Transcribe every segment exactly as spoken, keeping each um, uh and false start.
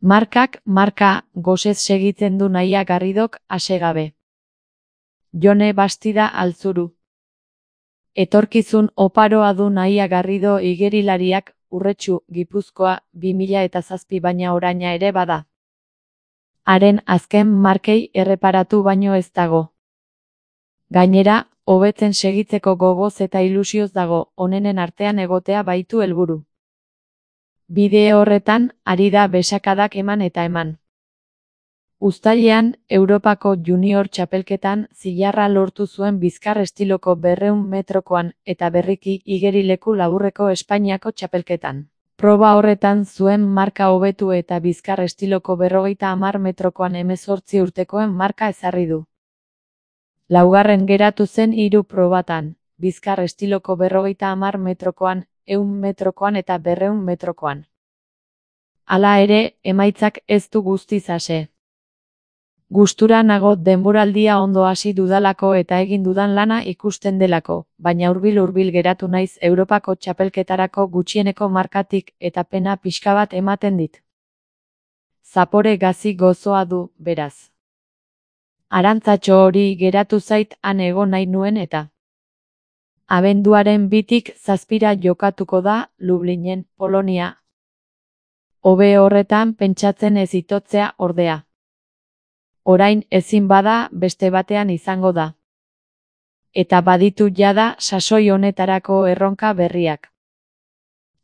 Markak marka gosez segitzen du Naia Garridok asegabe. Jone Bastida Altzuru. Etorkizun oparoa du Naia Garrido igerilariak, Urretxu, Gipuzkoa, bi mila eta zazpi baina oraina ere bada. Haren azken markei erreparatu baino ez dago. Gainera, hobetzen segitzeko gogoz eta ilusioz dago, onenen artean egotea baitu helburu. Bideo horretan, ari da besakadak eman eta eman. Uztailean, Europako Junior txapelketan zilarra lortu zuen bizkar estiloko berrehun metrokoan eta berriki igerileku laburreko Espainiako txapelketan. Proba horretan zuen marka hobetu eta bizkar estiloko berrogeita hamar metrokoan hemezortzi urtekoen marka ezarri du. Laugarren geratu zen hiru probatan, bizkar estiloko berrogeita hamar metrokoan, ehun metrokoan eta berrehun metrokoan. Hala ere, emaitzak ez du guztiz ase. Gustura nago denboraldia ondo hasi dudalako eta egin dudan lana ikusten delako, baina hurbil-hurbil geratu naiz Europako txapelketarako gutxieneko markatik eta pena pixka bat ematen dit. Zapore gazi gozoa du, beraz. Arantzatxo hori geratu zait han egon nahi nuen eta. Abenduaren bitik zazpira jokatuko da, Lublinen, Polonia. Hobe horretan pentsatzen ez itotzea ordea. Orain ezin bada beste batean izango da. Eta baditu jada sasoi honetarako erronka berriak.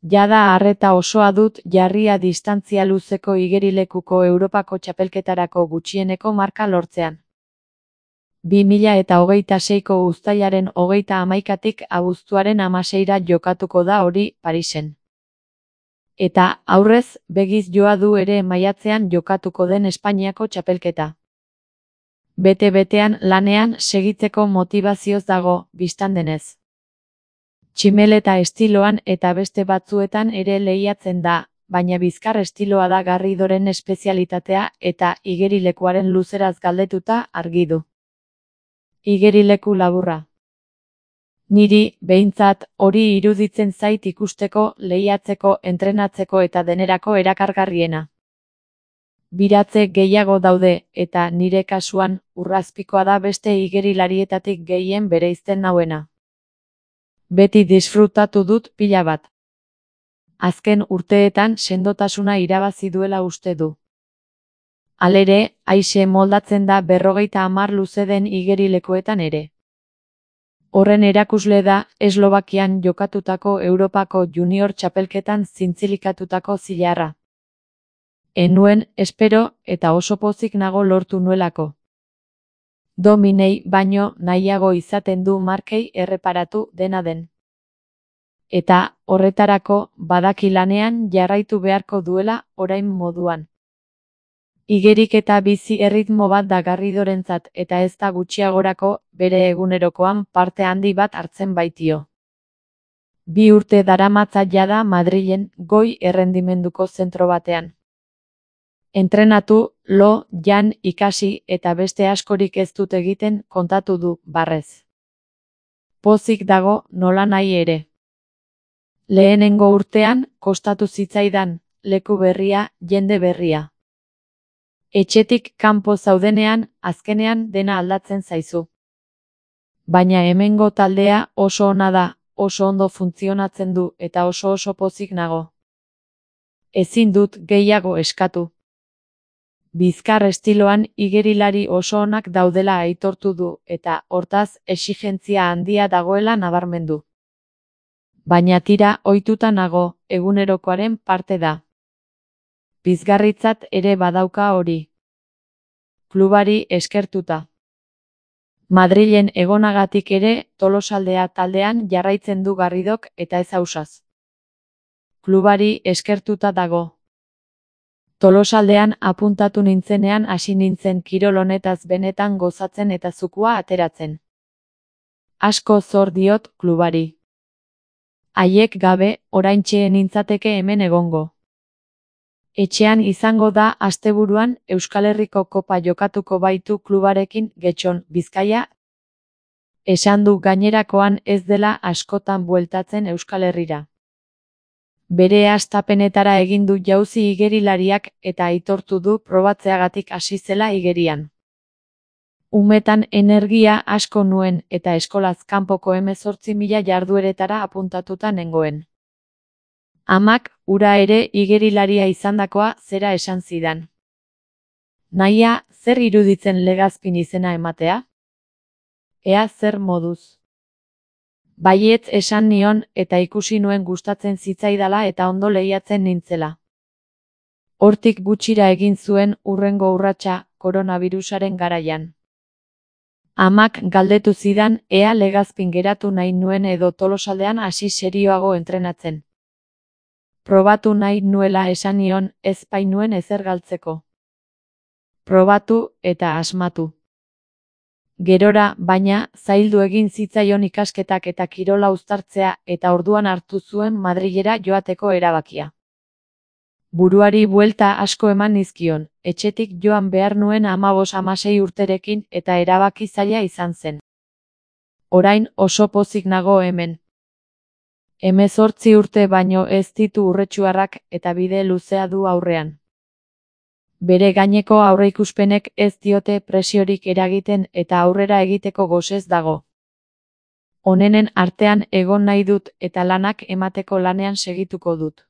Jada harreta osoa dut jarria distantzia luzeko igerilekuko Europako txapelketarako gutxieneko marka lortzean. bi mila eta hogeita seiko uztailaren hogeita hamaikatik abuztuaren hamaseira jokatuko da hori Parisen. Eta aurrez begiz joa du ere maiatzean jokatuko den Espainiako txapelketa. Bete-betean lanean segitzeko motivazioz dago, bistan denez. Tximeleta estiloan eta beste batzuetan ere lehiatzen da, baina bizkar estiloa da Garridoren espezialitatea eta igerilekuaren luzeraz galdetuta argi du. Igerileku laburra. Niri, behintzat, hori iruditzen zait ikusteko, lehiatzeko, entrenatzeko eta denerako erakargarriena. Biratze gehiago daude, eta nire kasuan, urrazpikoa da beste igerilarietatik gehien bereizten nauena. Beti disfrutatu dut pila bat. Azken urteetan sendotasuna irabazi duela uste du. Halere, aise moldatzen da berrogeita hamar luze den igerilekuetan ere. Horren erakusle da, Eslovakian jokatutako Europako Junior txapelketan zintzilikatutako zilarra. Enuen, espero, eta oso pozik nago lortu nuelako. Dominei baino nahiago izaten du markei erreparatu dena den. Eta, horretarako, badaki lanean jarraitu beharko duela orain moduan. Igerik eta bizi erritmo bat da Garridorentzat eta ez da gutxiagorako bere egunerokoan parte handi bat hartzen baitio. Bi urte daramatza jada Madrilen goi errendimenduko zentro batean. Entrenatu, lo, jan, ikasi eta beste askorik ez dut egiten kontatu du, barrez. Pozik dago nola nahi ere. Lehenengo urtean, kostatu zitzaidan, leku berria, jende berria. Etxetik kanpo zaudenean, azkenean dena aldatzen zaizu. Baina hemengo taldea oso ona da, oso ondo funtzionatzen du eta oso oso pozik nago. Ezin dut gehiago eskatu. Bizkar estiloan igerilari oso onak daudela aitortu du eta hortaz exigentzia handia dagoela nabarmendu. Baina tira ohituta nago, egunerokoaren parte da. Pizgarritzat ere badauka hori. Klubari eskertuta. Madrilen egonagatik ere Tolosaldea taldean jarraitzen du Garridok eta ez ausaz. Klubari eskertuta dago. Tolosaldean apuntatu nintzenean hasi nintzen kirol honetaz benetan gozatzen eta zukua ateratzen. Asko zor diot klubari. Haiek gabe, oraintxe nintzateke hemen egongo. Etxean izango da asteburuan Euskal Herriko kopa jokatuko baitu klubarekin Getxon, Bizkaia. Esan du gainerakoan ez dela askotan bueltatzen Euskal Herrira. Bere hastapenetara egin du jauzi igerilariak eta aitortu du probatzeagatik hasi zela igerian. Umetan energia asko nuen eta eskolaz kanpoko hemezortzi mila jardueretara apuntatuta nengoen. Amak, ura ere igerilaria izandakoa zera esan zidan. Nahia, zer iruditzen Legazpin izena ematea? Ea zer moduz. Baietz esan nion eta ikusi nuen gustatzen zitzaidala eta ondo lehiatzen nintzela. Hortik gutxira egin zuen hurrengo urratsa koronavirusaren garaian. Amak galdetu zidan ea Legazpin geratu nahi nuen edo Tolosaldean hasi serioago entrenatzen. Probatu nahi nuela esan nion ez bainuen ezer galtzeko. Probatu eta asmatu. Gerora, baina, zaildu egin zitzaion ikasketak eta kirola uztartzea eta orduan hartu zuen Madrilera joateko erabakia. Buruari buelta asko eman nizkion, etxetik joan behar nuen hamabos hamasei urterekin eta erabaki zaila izan zen. Orain oso pozik nago hemen. Hemezortzi urte baino ez ditu urretsuarrak eta bide luzea du aurrean. Bere gaineko aurreikuspenek ez diote presiorik eragiten eta aurrera egiteko gosez dago. Onenen artean egon nahi dut eta lanak emateko lanean segituko dut.